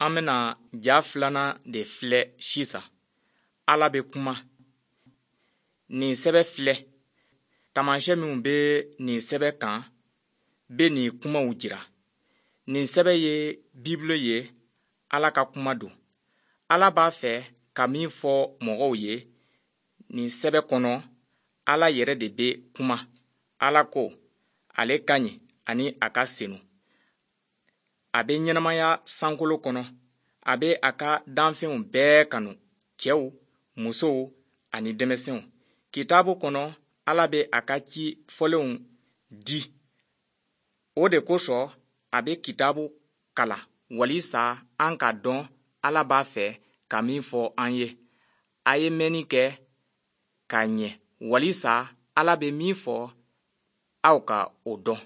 An bɛna ja filanan de filɛ sisan. Ala bɛ kuma. Nin sɛbɛ filɛ. Taamashyɛn minw bɛ nin sɛbɛ kan bɛ nin kumaw jira. Nin sɛbɛ ye Bibulu ye, Ala ka kuma don. Ala b'a fɛ ka min fɔ mɔgɔw ye nin sɛbɛ kɔnɔ, Ala yɛrɛ de bɛ kuma. Ala ko ale ka ɲi ani a ka senu. A bɛ ɲɛnamaya sankolo kɔnɔ. A bɛ a ka danfɛnw bɛɛ kanu, cɛw, musow ani denmisɛnw. Kitabu kɔnɔ, Ala bɛ a ka ci fɔlenw di. O de kosɔn a bɛ kitabu kalan walisa an k'a dɔn Ala b'a fɛ ka min fɔ an ye. A ye mɛnni kɛ ka ɲɛ walisa Ala bɛ min fɔ aw ka o dɔn.